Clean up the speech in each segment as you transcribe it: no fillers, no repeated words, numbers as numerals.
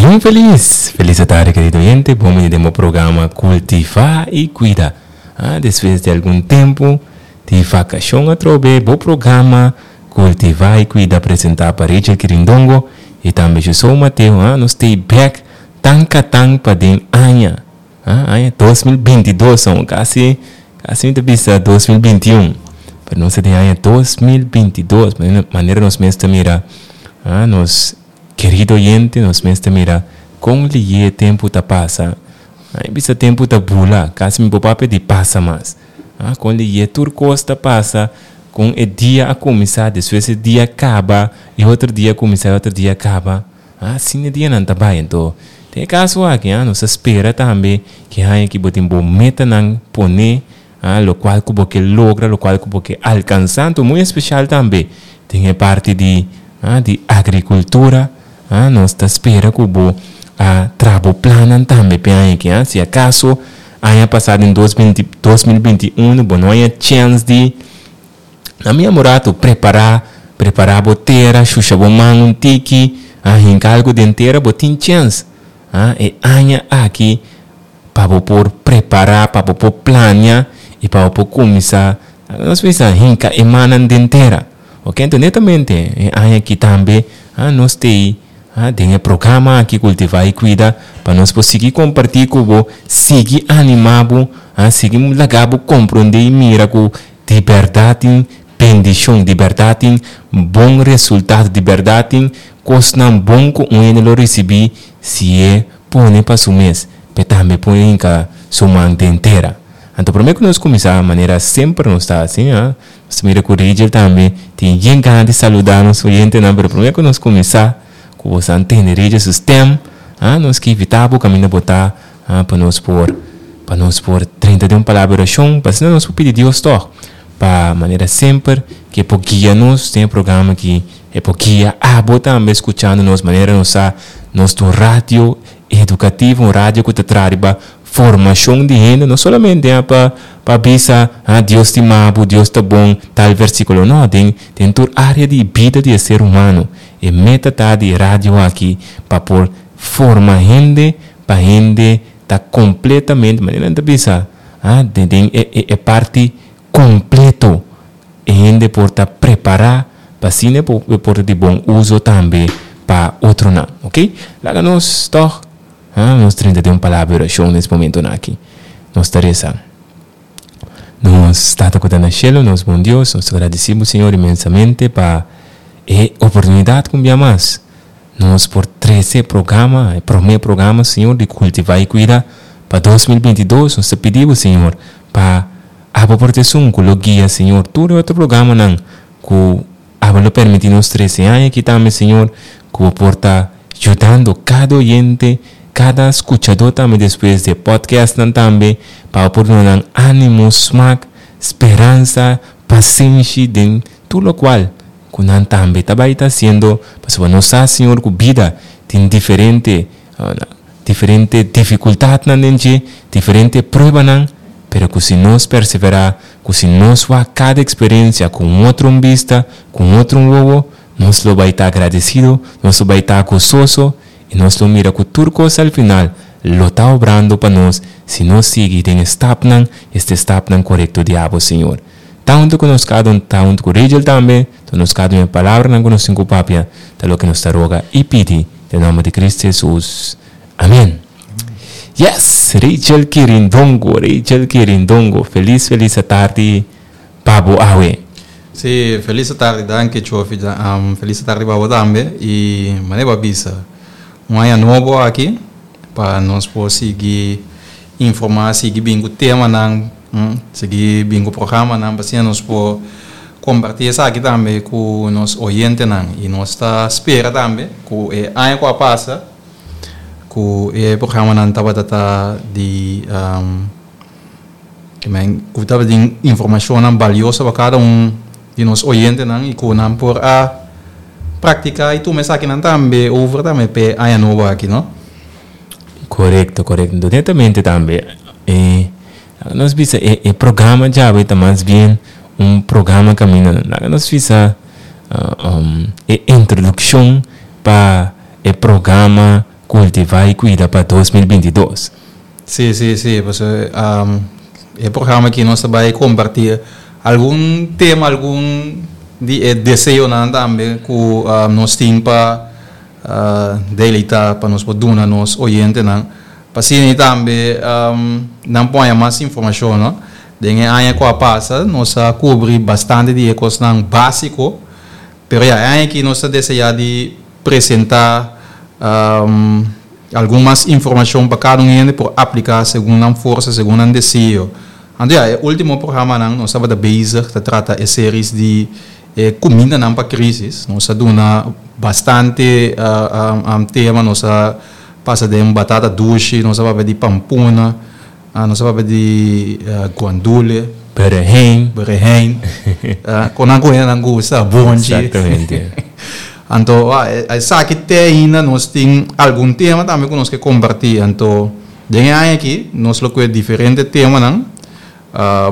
Un felis, felis atardi kerido oyente, bon bini den bo programa Kultivá i Kuida. Ah, despues di algun tempu di vakashon atrobe bo programa Kultivá i Kuida presentá pa Rachel Kirindongo i tambe Josou Mateo. Ah, nos stay bek tan katan pa den aña. Ah, aña 2022 aun, kasi, kasi mi ta bisa 2021, pero nos ta den aña 2022, manera nos mes ta mira, ah, nos Kerido oyente, nos mes ta mira kon liye e tempu ta pasa. Ai bisa tempu ta bula, kasi mi por papia di pasa mas. Ah, kon liye tur kos ta pasa, kon e dia a kuminsá, despues e dia kaba, e otro dia kuminsá, e otro dia kaba. Ah, asina e dianan ta bai. Anto, den e kaso aki, ah, nos ta spera tambe ki haña ki bo tin bo metanan poné Ah, lokual ku bo ke logra, lokual ku bo ke alkansá. Anto muy espesial tambe den e parti di, ah, di agrikultura, ah, nos ta spera ku bo a traha bo plannan tambe p'e aña aki, ah. Si akaso aña pasá den dos binti, 2021 bo no haña chèns di, na mi amoratu, prepará, prepará bo tera, shusha bo man un tiki, ah, hinka algu den tera, bo tin chèns, ah, e aña aki. Pa bo por prepará, pa bo por plania i pa bo por kuminsá, nos bisa, hinka e mannan den tera. Oke, enton netamente e aña aki tambe nos t'ei den e programa aki Kultivá i Kuida pa nos por sigui kompartí ku bo, sigui animá bo, sigui laga bo komprondé i mira ku di bèrdat tin bendishon, di bèrdat tin bon resultado, di bèrdat tin kosnan bon ku un hende lo risibí si e pone pa su mes, p'e tambe por hinka su man den tera. Anto promé ku nos kuminsá, manera semper nos ta hasi, a, nos ta mira ku Rigel tambe tin yen gana di saludá nos oyentenan, pero promé ku nos kuminsá, ku bo sa tende Rigel su stèm, a, nos ke invitá bo kaminda bo ta, a, pa nos por, pa nos por drenta den un palabra di orashon, pa asina nos por pidi Dios tòg, pa manera semper ke por guia nos den e programa aki. E por guia abo tambe skuchando nos manera nos sa nos ta un radio edukativo, un radio ku ta traha riba formashon di hende, no solamente pa pa bisa ha Dios stima bo, Dios ta bon, tal versikulo, no, den den tur área di bida di e ser humano. E meta ta di e radio aki pa por forma hende pa hende ta kompletamente, manera nan ta bisa, ha den e e parti kompleto. E hende por ta prepará pa asina e por ta di bon uso tambe pa otronan. Ok? Laga nos tòg ha nos drenta den un palabra di orashon nes momentonan aki. Nos ta resa. Nos Tata ku ta na shelu, nos bon Dios, nos ta gradisí bo Señor inmensamente pa e oportunidat ku un bia mas nos por trese e programa, e promé programa Señor di Kultivá i Kuida pa 2022. Nos ta pidi bo Señor pa Abo por ta esun ku lo guia, Señor, tur e otro programanan ku Abo lo permití nos trese aña aki tambe, Señor, ku Bo por ta yudando kada oyente, kada skuchadó tambe despues di e podcastnan tambe, pa Bo por duna nan ánimo, smak, speransa, pasenshi den tur lokual ku nan tambe ta bai ta hasiendo, pasobra nos sa, Señor, ku bida tin diferente Diferente dificultadnan den dje, diferente pruebanan, pero cu si nos persevera, cu si nos wak cada experiencia cu un otro un bista, cu un otro un wowo, nos lo bay ta agradecido, nos lo bay ta gozoso y nos lo mira cu tur cos al final lo ta obrando pa nos si nos sigui den e stapnan, este stapnan corecto di abo, Señor. Ta hunto cu nos cada un, ta hunto cu Rigel tambe, ta nos cada un e palabranan cu nos tin cu papia, ta loke nos ta roga y pidi. Den nomber di Cristo Jesus. Amen. Yes, Rachel Kirindongo, Rachel Kirindongo. Feliz, feliz atardi pa bo awe. Sí, feliz atardi, danki Chofi. Um, feliz atardi pa bo tambe. Y mane bo a bisa, un aña nobo aki pa nos por sigui informa, sigui bin ku temanan, sigui bin ku programanan pa asina nos por kompartí esaki tambe ku nos oyentenan. I nos ta spera tambe ku e aña ku a pasa ku e programanan tabata ta di ku tabatin informashonnan balioso pa kada un di nos oyentenan i ku nan por a praktiká i tuma esakinan tambe over tambe p'e aña nobo aki, no? Korekto, korekto. Netamente tambe e laga nos bisa e e programa djawe ta mas bien un programa kaminda laga nos bisa e introdukshon pa e programa. Kultivá i Kuida pa 2022. Sí, sí, sí, pasobra e programa aki nos ta bai kompartí algun tema, algun di e deseonan tambe ku nos tin pa deleitá, pa nos por duna nos oyentenan, pa asina tambe nan por haña mas informashon, no. Den e aña ku a pasa nos a kubri bastante di e kosnan básiko, pero ya e aña aki nos ta deseá di presentá algun mas informashon pa kada un hende por apliká segun nan forsa, segun nan deseo. Anto ya, e último programanan nos tabata bezig ta trata e series di e kumindanan pa krísis. Nos a duna bastante tema, nos a pasa den batata dushi, nos a papia di pampuna, nos a papia di guandule. Berehein. Berehein. Kon nan ku hendenan gusta, bonchi. Exactamente. Anto, esaki te ainda nos tin algun tema tambe ku nos ke kompartí. Anto, den e aña aki nos lo kue diferente temanan,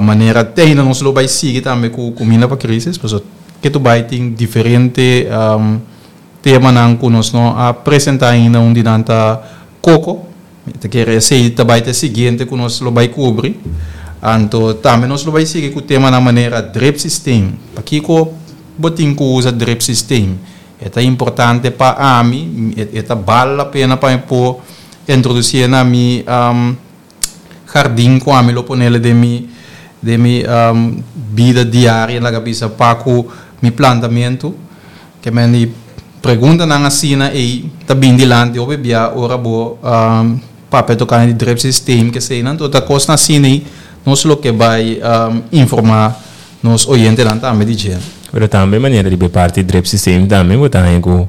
manera te ainda nos lo bai sigui tambe ku Kuminda pa Krisis, pasobra ke tu bai tin diferente temanan ku nos no a presentá ainda. Un di nan ta koko. Mi ta kere esei ta bai ta e siguiente ku nos lo bai kubri. Anto tambe nos lo bai sigui ku temanan manera drip systeem. Pakiko bo tin ku usa drip systeem? E ta importante pa ami, e ta bal la pena pa mi por introdusié na mi hardin ku ami lo ponele den mi den mi bida diario laga bisa pa ku mi plantamentu. Ke men di preguntanan asina ei ta bin dilanti hopi bia ora bo papia tokante di drip systeem keseinan. Anto ta kosnan asina ei nos lo ke bai informá nos oyentenan tambe di dje. Pero tambe manera riba e parti drip systeem tambe bo ta haña ku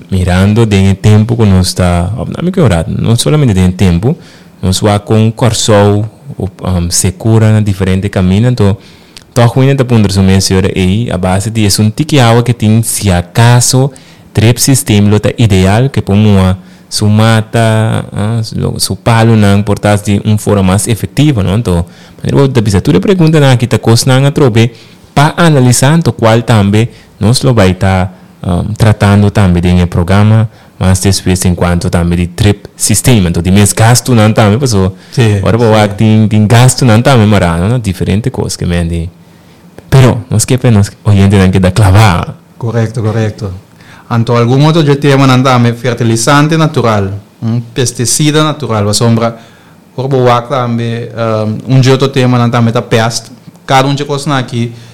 mirando den e tempu ku nos ta òf no mi ke ora no solamente den e tempu nos wak kon Kòrsou sekura na diferente kaminda anto Tòg wende ta puntra su mes si ora ei, a base di esun tiki awa ke tin, si akaso drip system lo ta ideal ke por muha su mata, su palunan por ta di un forma mas efectivo, no? Anto, manera bo ta bisa tur e preguntanan aki ta kosnan atrobe pa analisá, anto kual tambe nos lo bai ta tratando tambe den e programa mas despues en cuanto tambe di drip system. Anto di mes gastunan tambe paso ora bo wak tin tin gastunan tambe mará no na diferente kos ke men di. Pero nos ke pa nos oyentenan keda klavá. Korekto, korekto. Anto algun otro dje temanan tambe fertilisante natural, pestisida natural pasobra ora bo wak tambe un dje otro temanan tambe ta pèst. Kada un dje kosnan aki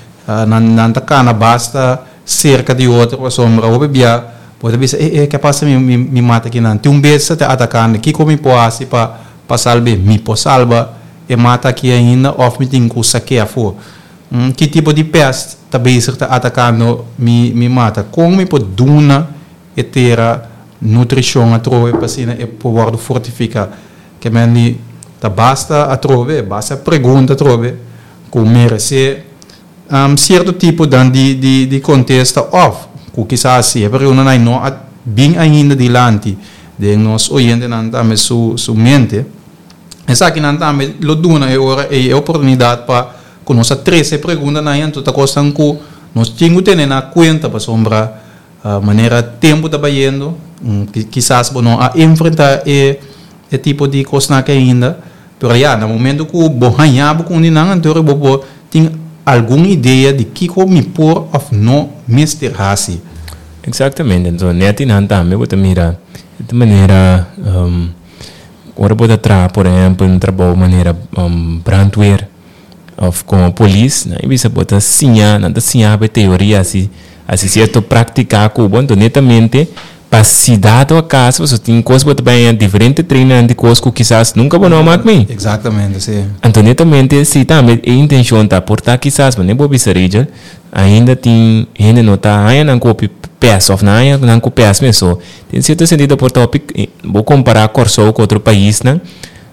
nan nan ta kana basta serka di otro pasobra hopi bia Bo ta bisa, E, e, ke pasa mi, mi, mi mata kinan? Tin un bestia ta ataká mi. Kiko mi por hasi pa, pa salb'é? Mi por salba e mata aki ainda òf mi tin ku sak'é afó? Ki tipo di pèst ta bezig ta atakando mi, mi mata? Kon mi por duna e tera nutrishon atrobe pa asina e por wòrdu fortifiká? Ke men di ta basta atrobe, basta pregunta atrobe ku meresé Cierto tipo dan di di di contesta of cu kisas si e preguntanan no a bin ainda dilanti den nos oyentenan tambe su su mente, esakinan tambe lo duna e ora ey e oportunidad pa cu nos a trece e preguntanan ey anto ta cosnan cu nos tin cu tene na cuenta pasobra manera tempo ta bayendo kisas bo no a enfrenta e e tipo di cosnan aki ainda. Pero ya, na momento ku bo haña bo ku un di nan, anto bo por tin algun idea di kiko mi por òf no mester hasi. Eksaktamente. Anto nèt di nan tambe bo ta mira di manera ora bo ta traha por ehèmpel un trabou manera brandweer òf komo polis, nan a bisa bo ta siña, nan ta siña bo e teoria asi, asi sierto práktika ku bo, anto netamente Pa si dado acaso pasobra tin cos bo ta bay haña diferente trainingnan di cos cu kisas nunca bo no a mak mee. Exactamente, si. Anto netamente si tambe e intencion ta por ta kisas manera bo bisa Rigel ainda tin hende no ta haña nan cu hopi pes of nan haña nan cu pes mes so den cierto sentido por ta hopi bo compara Corsou cu otro paisnan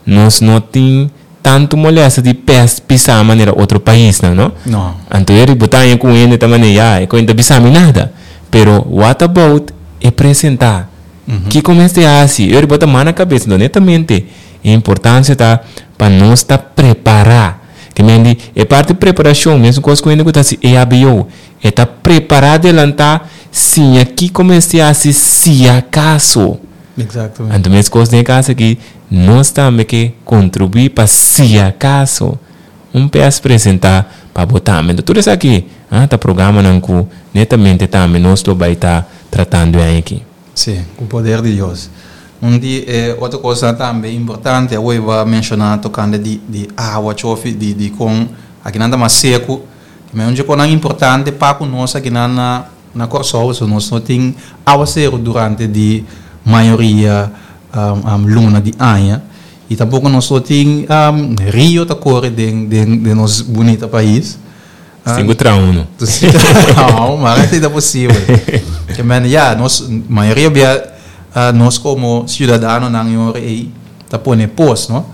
nos no tin tantu molesta di pes pisá manera otro paisnan, no? No. Anto e riba ta haña ku un hende ta manera, ya, e koe no ta bisa mi nada. Pero what about e presentá? Kiko mester hasi? E riba ta mana kabes. Anto netamente e importansia ta pa nos ta prepará. Ke men di e parti preparashon, mesun kos ku hende ku ta hasi EHBO, e ta prepará adelantá, siña kiko mester hasi si akaso. Exactamente. Anto meskos den e kas aki, nos tambe ke kontribuí pa si akaso un pes presentá pa bo tambe. Anto tur esaki ta programanan ku netamente tambe nos lo bai ta tratando e aña aki. Sí, ku poder di Dios. Un di e otro kosnan tambe importante awor bo a menshoná tokante di di awa chofi di di kon akinan ta mas seku. Ma un dje konan importante pa ku nos akinan na na Kòrsou so nos no tin awaseru durante di mayoria luna di aña i tampoko nos no tin rio ta kore den den den nos bunita pais. Sin ku traha uno. No, maar esei ta posibel. Ke men ya, nos mayoria bia nos komo siudadanonan e ora ei ta pone pos, no?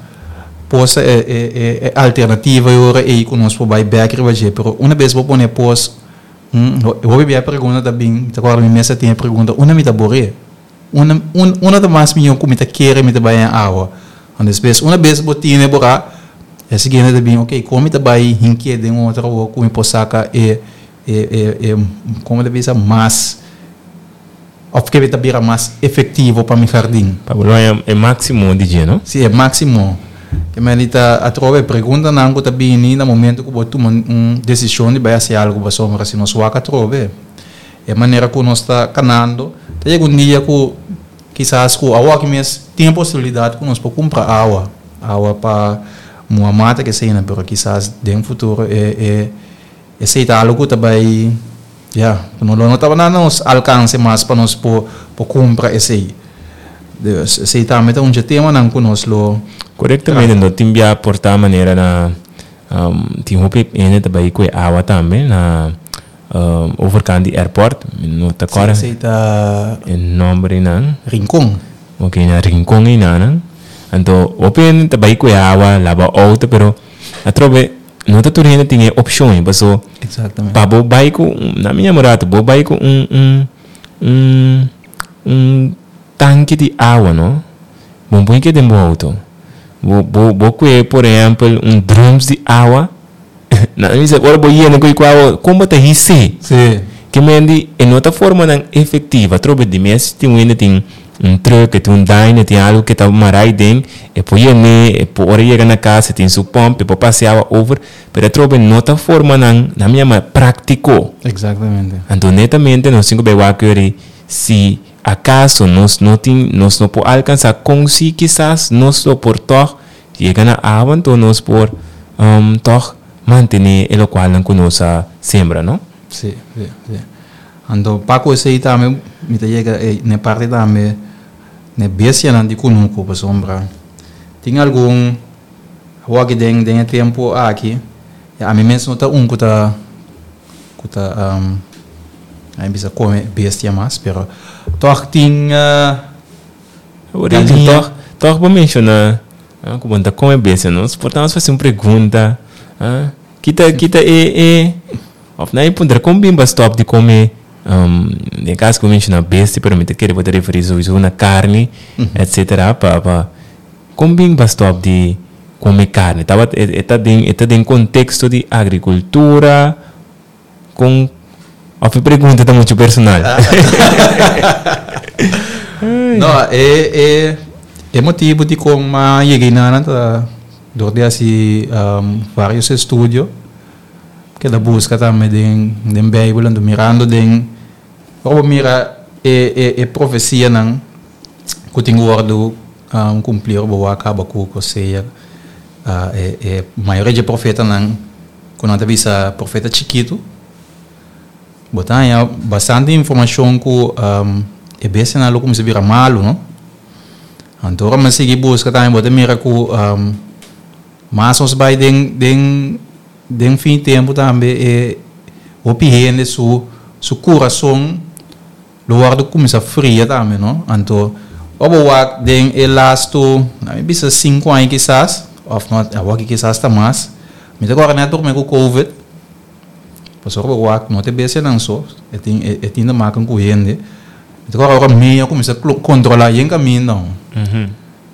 Pos ta e e e alternativa e ora ei ku nos por bai bèk riba dje, pero una bes bo pone pos, hopi bia e pregunta ta bin, mi ta kòrda mi mes a tin e pregunta, unda mi ta bor'é? Unda unda ta mas mihó ku mi ta kere mi ta bai den awa? Despues una bes bo tine borá, e siguiente ta bin, ok, kon mi ta bai hink'é den un otro awa ku mi por saka e e e e komo ta bisa mas òf ke ta bira mas efektivo pa mi hardin. Pa bo lo haña e máksimo di dje, no? Sí, e máksimo. Ke men di ta atrobe preguntanan ku ta bini na momento ku bo tuma un desishon di bai hasi algu pasobra si nos wak atrobe e manera ku nos ta kanando ta yega un dia ku Kisas ku awoki mes tin e posibilidat ku nos por kumpra awa, awa pa muha mata ke eseinan, pero kisas den futuro e e esei ta algu ku ta bai ya, ku no lo no tabata na nos alkanse mas pa nos por por kumpra esei. Dus esei tambe ta un dje temanan ku nos lo Korektamente, no tin bia por ta manera na tin hopi hende ta bai ku e awa tambe na Overkant di airport, mi no ta kòrda. Sí, esei ta. E nòmber einan. Rincon. Ok, na Rincon einanan. Anto, hopi hende ta bai ku e awa, laba outo, pero atrobe no ta tur hende tin e opshon ei, paso. Exactamente. Pa bo bai ku, na mi yama rato, bo bai ku un, un, un, un tanki di awa, no? Bo no por hik'é den bo outo. Bo, bo, bo kue, por ehèmpel, un drùms di awa. Nan a bisa, ora bo yena ku awa, kon bo ta his'é? Sí. Ke men di, e no ta formanan efektivo. Atrobe di mes tin un hende tin un truck, e tin un dyno, e tin algu ke ta mará aden, e por yen'é, e por ora e yega na kas e tin su pòmp, e por pasa e awa over, pero atrobe no ta formanan, nan mi yama práktiko. Exactamente. Anto netamente nos tin ku bai wak yori si akaso nos no tin, nos no por alkansá kon si kisas nos lo por tòg Yega na awa anto nos por tòg mantené e lokualnan ku nos a sembra, no? Sí, sí, sí. Anto pa ku esei tambe mi ta yega na e parti tambe na e bestianan di kunuku pasobra tin algun awor den den e tempu aki ami mes no ta un ku ta ku ta a bisa kome bestia mas pero tòg tin. Galiña. Tòg, tòg bo menshoná ku bo no ta kome bestia, nos por ta nos fasi un pregunta, kita kita e e òf nan e puntra kon bin bo stòp di kome den kas ku bo menshoná bestia pero mi ta kere bo ta referí souiso na karni etsetera pa pa kon bin bo stòp di kome karni tabata e ta den e ta den konteksto di agrikultura Kon of e pregunta ta mucho personal? No, e e e motibu di kon m'a yega einan ta dor di hasi varios estudio keda buska tambe den den Bijbel anto mirando den ora bo mira e e e profesianan ku tin wòrdu kumpli ora bo wak Habakuk, Hosea e e mayoria dje profetanan Ku nan ta bisa profeta chikitu, bo ta haña bastante informashon ku e bestianan lo kuminsá bira malu, no? Anto ora mi a sigui buska tambe bo ta mira ku mas nos bai den den den fin tempu tambe e hopi hende su su kurason Lo wòrdu kuminsá fria tambe, no? Anto, ora bo wak den e lastu, na mi bisa sinku aña kisas, òf no, awor kisas ta mas, mi ta kòrda nèt promé ku covid, pasobra ora bo wak no ta e bestianan so, e tin e tin te maken ku hende, mi ta kòrda ora mei a kuminsá kontrolá yen kaminda.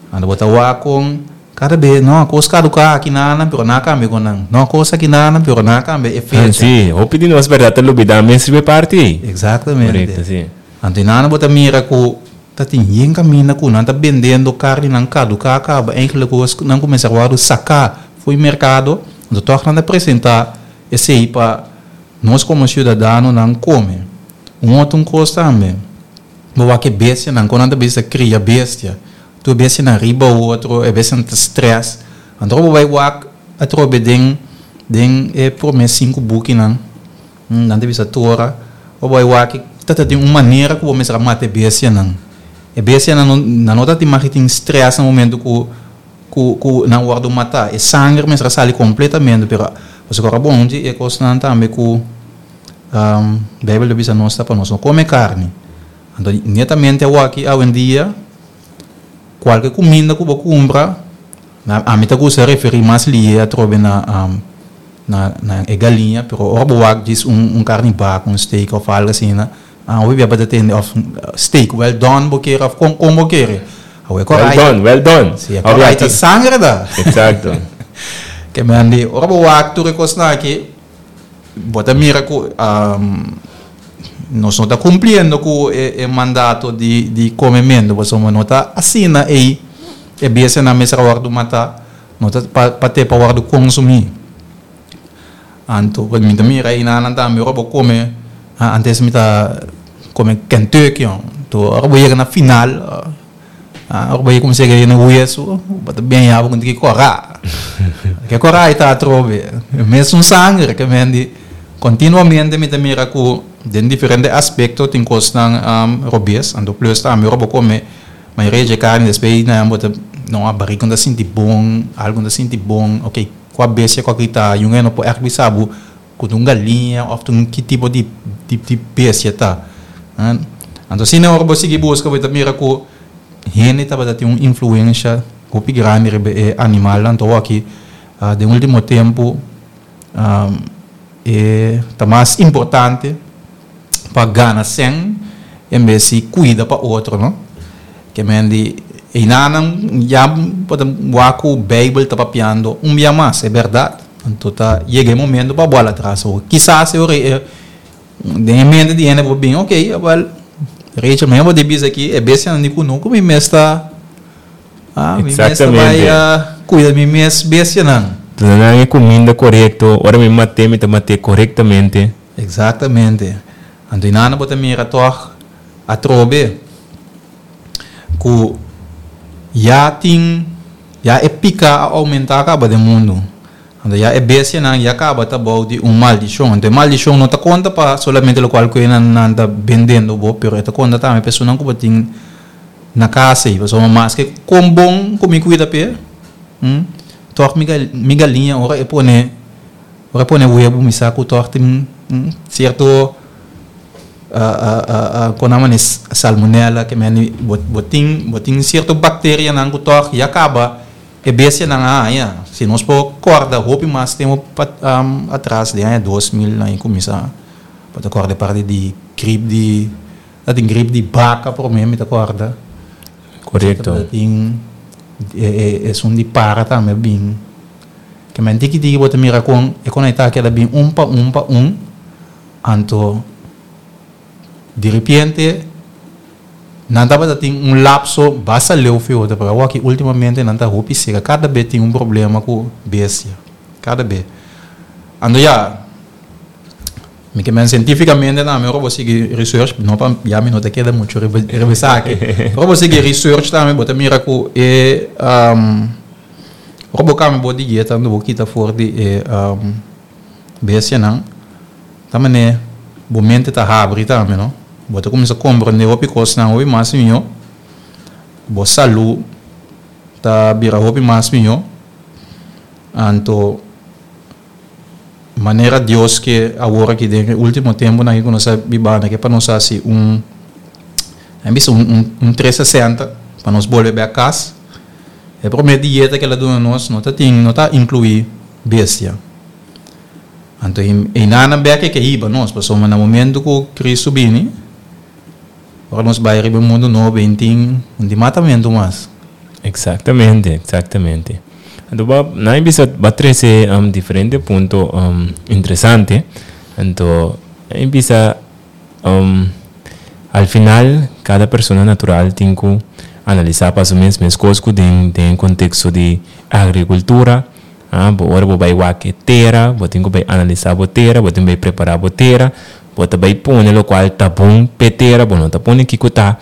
Anto bo ta wak kon kada be no kos kaduká aki nan pero nan a kambia ku nan, no kos aki nan pero nan a kambia e fecha. Sí, hopi di nos bèrdat ta lubidá mes riba e parti ei. Eksaktamente. Korekto, sí. Anto nan bo ta mira ku Ta tin yen kaminda ku nan ta bendendo karninan kaduká kaba, eigenlijk kos ku nan kuminsá wòrdu saká for di merkado, anto tòg nan ta presentá esei pa nos komo siudadanonan kome. Un otro un kos tambe, bo wak e bestianan, kon nan ta bisa kria bestia, tur bestianan riba otro, e bestianan ta strès, anto bo bai wak atrobe den den e promé sinku bukinan. Nan ta bisa Tora, Bo bai wak ta ta tin un manera ku bo mester a mata e bestianan. E bestianan no nan no ta tin mag di tin strès na momento ku ku ku nan wòrdu matá. E sanger mester a sali kompletamente, pero pasobra ora bon di e kosnan tambe ku Beibel ta bisa nos ta pa nos no kome karni. Anto netamente awaki awendia kualke kuminda ku bo kumpra Ami ta gusta referí mas lihe atrobe na na na e galiña, pero ora bo wak djis un un karni bak, un steak òf algu asina, hopi bia bo ta tende òf steak well done bo kere òf kon kon bo kere. Awe e Well done, well done. Si, e korai ta sangre ta. Exacto. Ke men di ora bo wak tur e kosnan aki, bo ta mira ku nos no ta kumpliendo ku e mandato di di komementu, pasobra no ta asina ei e bestianan mester a wòrdu matá, no ta pa pa te pa wòrdu konsumí. Anto mi ta mira einanan tambe ora bo kome, antes mi ta kome Kentucky, anto ora bo yega na final. Ora bo kuminsá yega na wesu, bo ta bien ya bo tin ki kòrá. Ke kòrá i ta atrobe. Mesun sanger ke men di kontinuamente mi ta mira ku den diferente aspekto tin kosnan robes. Anto plus tambe ora bo kome mayoria dje karni despues nan bo ta no a barika no ta sinti bon, algu no ta sinti bon. Oke kua bestia ku aki ta yunga no por ègt bisa bo ku ta un galiña òf ta un ki tipo di di bestia ta. Anto asina ora bo sigui buska bo ta mira ku hende tabata tin un influensha hopi grandi riba e animalnan. Anto awor aki den ultimo tempu e ta mas importante pa gana sèn en bes di kuida pa otro no. Ke men di einanan ya bo ta wak ku Beibel ta papiando un bia mas, e bèrdat. Anto ta yega e momento pa bola atras. O kisas e ora e den e mente di hende por bin, ok, awel Rachel mi a di bisa aki e bestianan di kunuku mi mes ta ah mi mes ta bai cuida mi mes bestianan. Duna nan e kuminda korekto, ora mi mat'é mi ta mat'é korektamente. Exactamente. Anto inana bo ta mira tog atrobe ku ya tin ya e pika a oumentá kaba den mundu. Anto ya e bestianan ya kaba ta bou di un maldishon. Anto e maldishon no ta konta pa solamente lokual ku nan nan ta bendendo bo, pero e ta konta tambe pa esunnan ku bo tin na kas ei. Pasobra maske kon bon ku mi kuida p'e, tòg mi mi galiña ora e pone ora e pone webu mi sa ku tòg tin sierto Kon nan mane salmonella ke mende bo tin bo tin sierto bakterianan ku tòg ya kaba e bestianan a haña. Si nos por kòrda hopi mas tempu atras den aña 2000 nan a kuminsá bo ta kòrda e parti di grip di ta tin grip di baka promé mi ta kòrda. Korekto. Ta tin esun di para tambe a bin. Ke men tiki tiki bo ta mira kon e kon a ta keda bin un pa un pa un. Anto, diripiente, nan tabata tin un lapso basta leu fi otro, pero awor aki ultimamente nan ta hopi sera. Kada be tin un problema ku bestia, kada be. Anto ya, mi ke men sientifikamente tambe ora bo sigui research, no pa ya mi no ta keda muchu riba riba esaki, ora bo sigui research tambe bo ta mira ku e ora bo kambia bo dieta anto bo kita for di e Bestianan ta manera bo mente ta habri tambe no. Bo ta cuminsa comprende hopi cosnan hopi mas miho. Bo salud ta bira hopi mas miho. Anto manera Dios ke awor aki den e ultimo temponan aki cu nos ta bibando ke pa nos haci un nan bisa un 360 pa nos bolbe bek cas. E prome dieta ke el a duna nos no ta tin no ta inclui bestia. Anto einanan bek e ke hiba nos, pasobra na momento ku Cristo bini, ora nos bai riba e mundu nobo ein tin un di matamentu mas. Exactamente, exactamente. Anto ba nan bisa ba trece diferente punto interesante. Anto nan bisa al final. kada persona natural tin ku analisá pa su mes, meskos ku den den konteksto di agrikultura, ah, bo ora bo bai wak e tera, bo tin ku bai analisá bo tera, bo tin ku bai prepará bo tera, bo ta bai pone lokual ta bon p'e tera, bo no ta pone kiko ta.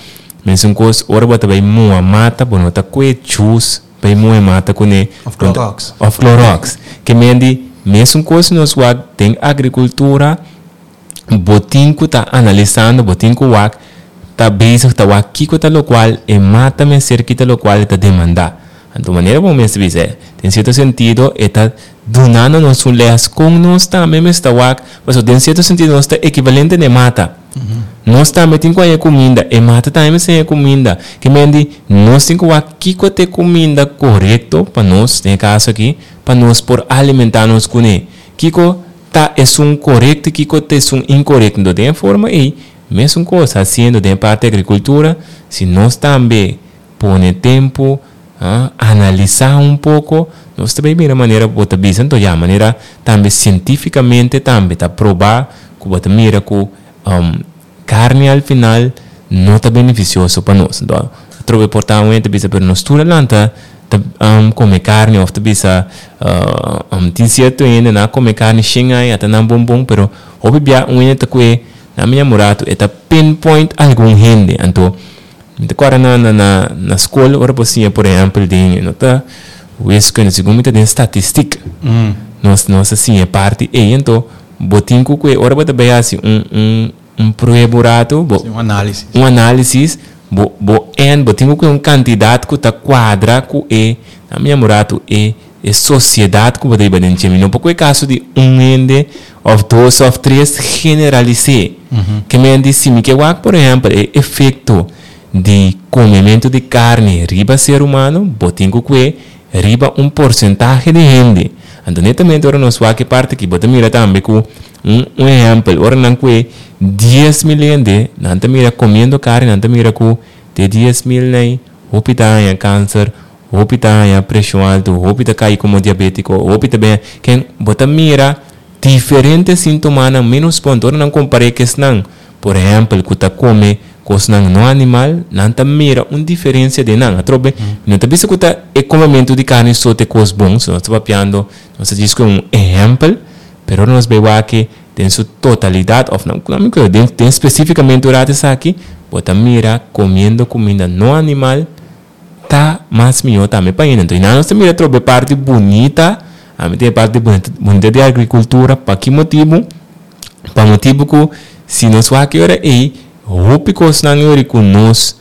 Mesun kos ora bo ta bai muha mata, bo no ta kue chus bai muha e mata kuné. Òf Clorox. Òf Clorox. Ke men di mesun kos nos wak den agrikultura. Bo tin ku ta analisando, bo tin ku wak, ta bezig ta wak kiko ta lokual e mata mester, ki ta lokual e ta demandá. Anto manera bo mester bisa, den sierto sentido e ta dunando nos un lès kon nos tambe mester ta wak, pasobra den sierto sentido nos ta ekivalente na e mata. Nos tambe tin ku haña kuminda, e mata tambe mester haña kuminda. Ke men di nos tin ku wak kiko ta e kuminda korekto pa nos, den e kaso aki, pa nos por alimentá nos kuné. Kiko ta esun korekto i kiko ta esun inkorekto. Enton den e forma ei, mesun kos hasiendo den e parti agrikultura, si nos tambe pone tempu, analisá un poko, nos ta bai mira manera bo ta bisa. Enton ya, manera tambe sientifikamente tambe ta probá ku bo ta mira ku karni al final no ta benefisioso pa nos. Enton atrobe por ta un hende ta bisa pero nos tur a lanta ta come carni of ta bisa tin cierto hende nan a come carni shen aña ta nan bon bon pero hopi bia un hende ta cue nan mi yamurato e ta pinpoint algun hende anto mi ta corda na na na school ora bo siña por ehempel den no ta wiskunde segun mi ta den statistiek nos nos a siña e parti ey anto bo tin cu cue ora bo ta bay haci un un Un prueba un rato, bo. Sí, un análisis. Un análisis, bo, bo en, bo tin ku un kantidat ku ta kuadra ku e, na mi un rato, e, e sosiedat ku bo ta biba den dje. Mi no por kohe kaso di un hende òf dos òf tres generalis'é. Ke men di si mi ke wak, por ehèmpel, e efekto di komementu di karni riba ser humano, bo tin ku kue riba un porsentahe di hende. Anto netamente ora nos wak e parti aki, bo ta mira tambe ku Un un ehèmpel, ora nan kue 10,000 hende, nan ta mira komiendo karni, nan ta mira ku di e 10,000 nei, hopi ta haña kanser, hopi ta haña preshon altu, hopi ta kai komo diabétiko, hopi ta ben. Ken bo ta mira diferente sintomanan ménos pronto. Ora nan kompar'é ku esnan, por ehèmpel, ku ta kome kosnan no animal, nan ta mira un diferensia den nan. Atrobe, mi no ta bisa ku ta e komementu di karni so ta e kos bon, so nos ta papiando, nos ta djis ku un ehèmpel. Pero ora nos bay wak den su totalidad of no mi creo den den specificamente un rato esaki bo ta mira comiendo cuminda no animal ta mas miho tambe pa hende. Entonces nos ta mira trobe e parti bunita ami ta e parti bunita di agricultura pa ki motibu? Pa motibu cu si nos wak e ora ey hopi cosnan e ora cu nos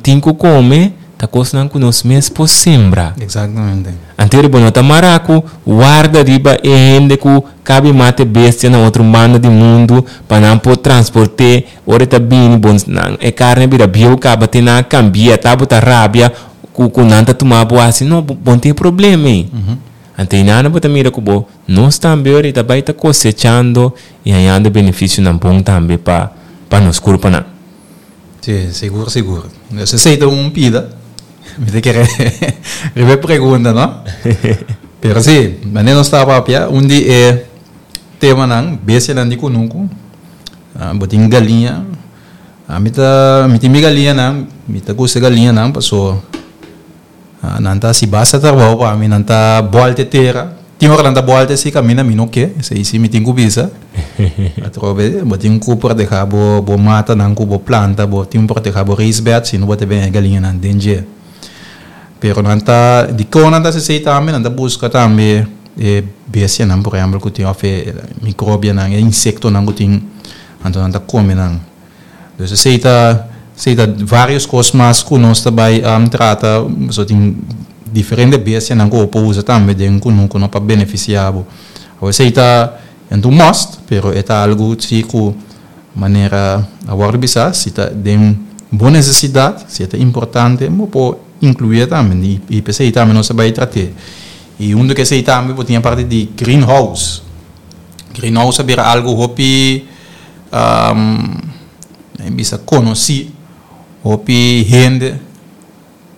Tin ku kome ta kosnan ku nos mes por sembra. Exactamente. Anto bo no ta mará ku warda riba e hende ku kabi mata e bestia na otro banda di mundu pa nan por transport'é ora e ta bini bo nan e karni a bira bieu kaba te nan a kambia ta bo ta rabia ku ku nan ta tuma bo hasi no bo no tin e problema ei. Anto einan bo ta mira ku bo nos tambe ora ta bai ta kosechando i hañando benefisionan bon tambe pa pa nos kurpanan. Sí, sigur, sigur. Dus esei ta un pida. Mi ta kere riba e pregunta, no? Pero sí, manera nos ta papia, un di e temanan, bestianan di kunuku, bo tin galiña. Ami ta, mi tin mi galiñanan, mi ta gusta e galiñanan paso Nan ta hasi basta trabou pa mi, nan ta bòlta e tera. Tin ora nan ta bòlta esei kaminda mi no ke, esei si mi tin ku bisa. Atrobe bo tin ku protehá bo bo matanan ku bo planta, bo tin ku protehá bo raisbed si no bo ta bini e galiñanan den dje. Pero nan ta, dikon nan ta hasi esei tambe? Nan ta buska tambe e bestianan por ehèmpel ku tin òf e mikrobianan, e insektonan ku tin, anto nan ta kome nan. Dus esei ta esei ta varios kos mas ku nos ta bai trata pasobra tin diferente bestianan ku bo por usa tambe den kunuku no pa benefisiá bo. Awor esei ta e no ta un must pero e ta algu si ku manera a wòrdu bisá si ta den bo nesesidat si e ta importante bo por inkluié tambe i p'esei tambe nos ta bai trat'é. I huntu ku esei tambe bo tin e parti di greenhouse. Greenhouse a bira algu hopi. Bisa konosí hopi hende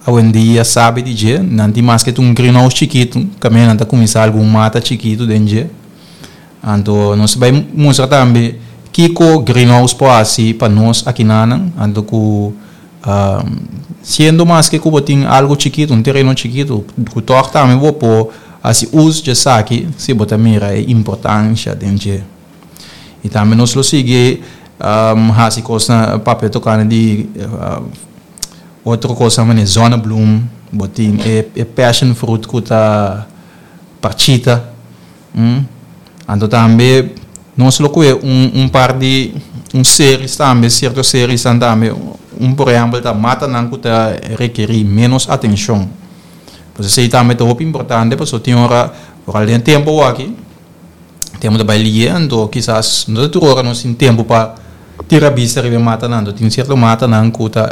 awendia sabi di dje. Nan tin maske ta un greenhouse chikitu, kaminda nan ta kuminsá algun mata chikitu den dje. Anto nos ta bai mustra tambe Kiko greenhouse por hasi pa nos akinanan, anto ku siendo maske ku bo tin algu chikitu, un tereno chikitu, ku tòg tambe bo por hasi us dje esaki si bo ta mira e importansha den dje. I tambe nos lo sigui hasi kosnan papia tokante di otro kosnan manera zonnebloem, bo tin e passion fruit ku ta parchita. Anto tambe nos lo kohe un un par di un series tambe, sierto seriesnan tambe, un por ehèmpel ta matanan ku ta rekerí ménos atenshon. Pues esei tambe ta hopi importante pasobra tin ora, ora den tempu awaki, tempu ta bai lié anto kisas no ta tur ora nos tin tempu pa tira bista riba e matanan. Anto tin sierto matanan ku ta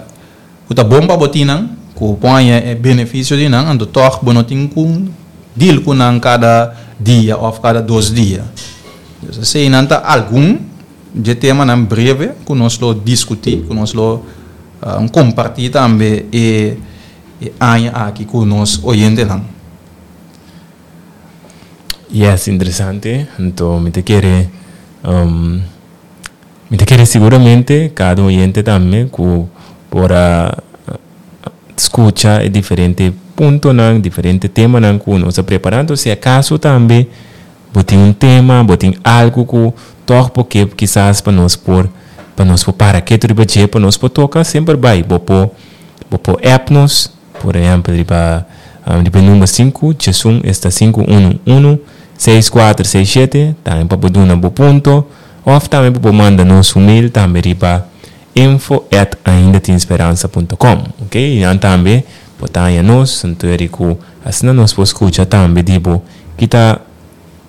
Ku ta bon pa bo tin nan, ku bo por haña e benefisio di nan, anto tòg bo no tin ku deal ku nan kada dia òf kada dos dia. Dus eseinan ta algun dje temanan breve ku nos lo diskutí, ku nos lo kompartí tambe e aña aki ku nos oyentenan. Yes, interesante. Anto mi ta kere. Mi ta kere siguramente kada oyente tambe ku por a skucha e diferente puntonan, diferente temanan ku nos a prepará. Enton si akaso tambe bo tin un tema, bo tin algu ku tòg bo ke kisas pa nos por pa nos por para ketu riba dje, pa nos por toka, semper bai. Bo por bo por app nos, por ehèmpel riba riba e number sinku diesun esta sinku unu unu seis kuater seis shete, tambe pa bo duna bo punto. Of tambe bo por manda nos un mail tambe riba info at aindatinSperansa punto com, ok? Y nan tambe bo ta haña nos, anto eri cu asina nos por scucha tambe di bo kita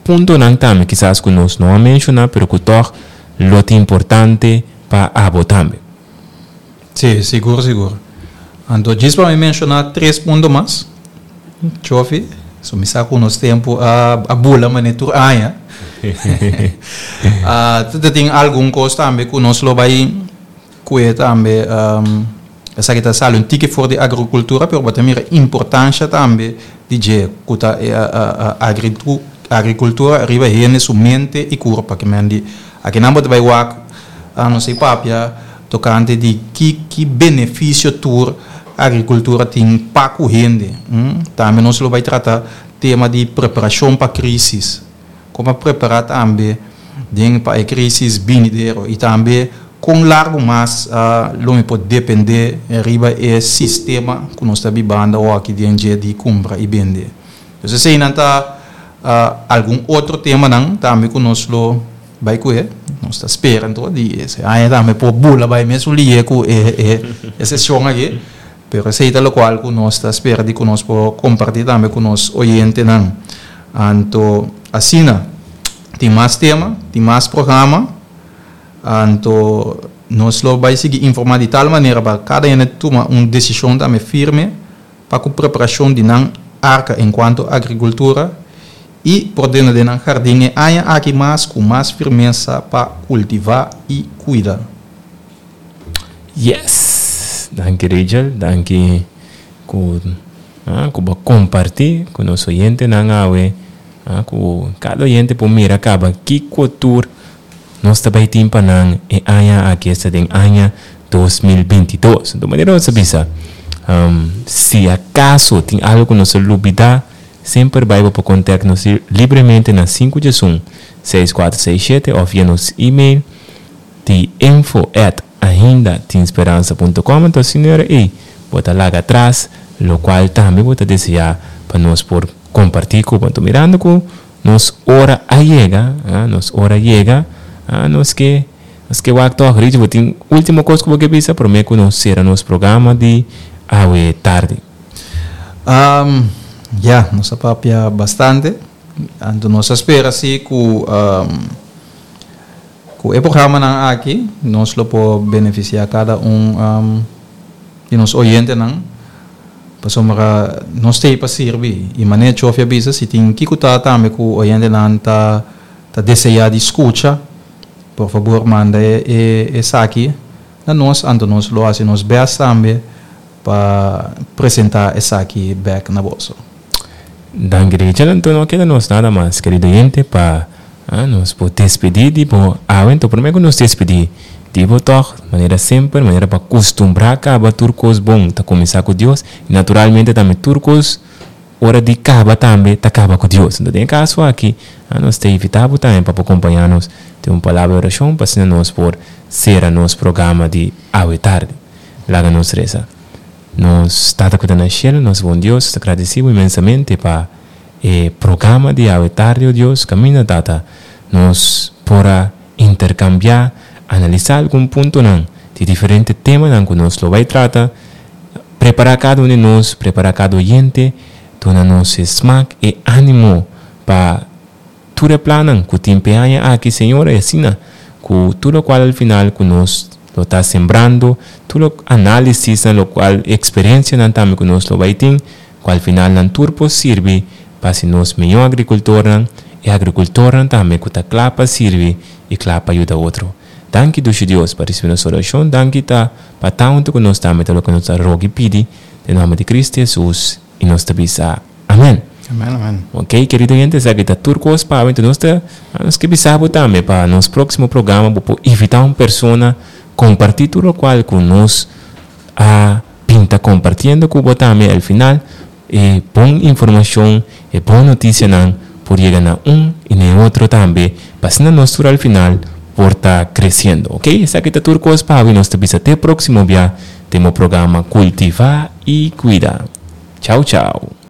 puntonan tambe kisas cu nos no a menciona pero cu tog lo ta importante pa abo tambe. Sí, sigur sigur. Anto djis pa mi menciona tres punto mas, Chofi, so mi sa cu nos tempo a bula mane tur aña. Ta tin algun cos tambe cu nos lo bay cue tambe, esaki ta sali un tiki for di agricultura pero bo ta mira importancia tambe di dje cu ta e agricultura riba hende su mente y curpa. Akinan bo ta bay wak nos a papia Tokante di ki ki benefisio tur agrikultura tin pa ku hende. Tambe nos lo bai trata tema di preparashon pa krisis. Kon pa prepará tambe den pa e krisis binidero i tambe kon largu mas lo mi por dependé riba e sistema ku nos ta bibando awoki den dje di kumpra i bende. Entonces eseinan ta algun otro temanan tambe ku nos lo Bai ku e, nos ta spera anto di ese aña tambe por bula bai mesun lihe ku e e seshon aki, pero esei ta lokual ku nos ta spera di ku nos por kompartí tambe ku nos oyentenan. Anto asina tin mas tema, tin mas programa, anto nos lo bai sigui informá di tal manera pa kada hende tuma un desishon tambe firme pa ku preparashon di nan arka enkuanto agrikultura I por dena den nan hardin e aña aki mas ku mas firmesa pa kultivá i kuida. Yes! Danki Rachel, danki ku ku bo a kompartí ku nos oyentenan awe, ku kada oyente por mira kaba kiko tur nos ta bai tin pa nan e aña aki, esta den aña 2022. Anto manera nos a bisa, si akaso tin algu ku nos a lubidá, Semper bai bo por contact nos libremente na sinku djesun, seis kuater seis shete of via nos email di info at ainda tin speransa punto com. Anto asina ora ei bo ta laga atras locual tambe bo ta desea pa nos por comparti cu bo. Anto mirando cu nos ora a yega, nos ora a yega, nos ke nos ke wak tog. Richie bo tin ultimo cos cu bo ke bisa prome cu nos cera nos programa di awe tardi? Ya, nos a papia bastante. Anto nos a spera si ku ku e programanan aki nos lo por benefisiá kada un di nos oyentenan pasobra nos ta ei pa sirbi. I manera Chofi a bisa si tin kiko ta tambe ku oyentenan ta ta deseá di skucha, por fabor manda e esaki na nos, anto nos lo hasi nos bèst tambe Pa presenta esaki bek na boso. Danki Rachel. Anto no keda nos nada mas, kerido oyente, pa Ah, nos por despedí di bo awe, anto promé ku nos despedí di bo tòg, manera semper, manera pa kustumbrá kaba tur kos bon ta kuminsá ku Dios, i naturalmente tambe tur kos ora di kaba tambe ta kaba ku Dios. Anto den e kaso aki, nos ta invitá bo tambe pa bo kompañá nos den un palabra di orashon pa asina nos por sera nos programa di awe tardi. Laga nos resa. Nos Tata ku ta na shelu, nos bon Dios, nos ta gradisí bo inmensamente pa e programa di awe tardi, o Dios, kaminda Tata, nos por a interkambiá, analisá algun puntonan di diferente temanan ku nos lo bai trata, prepará kada un di nos, prepará kada oyente, duna nos e smak, e ánimo pa tur e plannan ku tin p'e aña aki, Señor, i asina ku tur lokual al final ku nos lo ta sembrando, tur lo análisisnan, lokual eksperensianan tambe ku nos lo bai tin, ku al final nan tur por sirbi pa hasi nos mihó agrikultornan i agrikultornan tambe ku ta kla pa sirbi i kla pa yuda otro. Danki Dushi Dios pa risibi nos orashon, danki ta pa ta huntu ku nos tambe ta loke nos ta roga i pidi den nòmber di Kristu Hesus i nos ta bisa Amen. Amen amen. Ok kerido hente esaki ta tur kos pa awe nos ta nos ke bisa bo tambe pa nos próksimo programa bo por invitá un persona kompartí tur lokual ku nos a pinta kompartiendo ku bo tambe al final e bon informashon e bon notisianan por yega na un i na e otro tambe pa asina nos tur al final por ta kresiendo ok esaki ta tur kos pa awe nos ta bisa te próksimo bia den bo programa Kultivá i Kuida chau chau.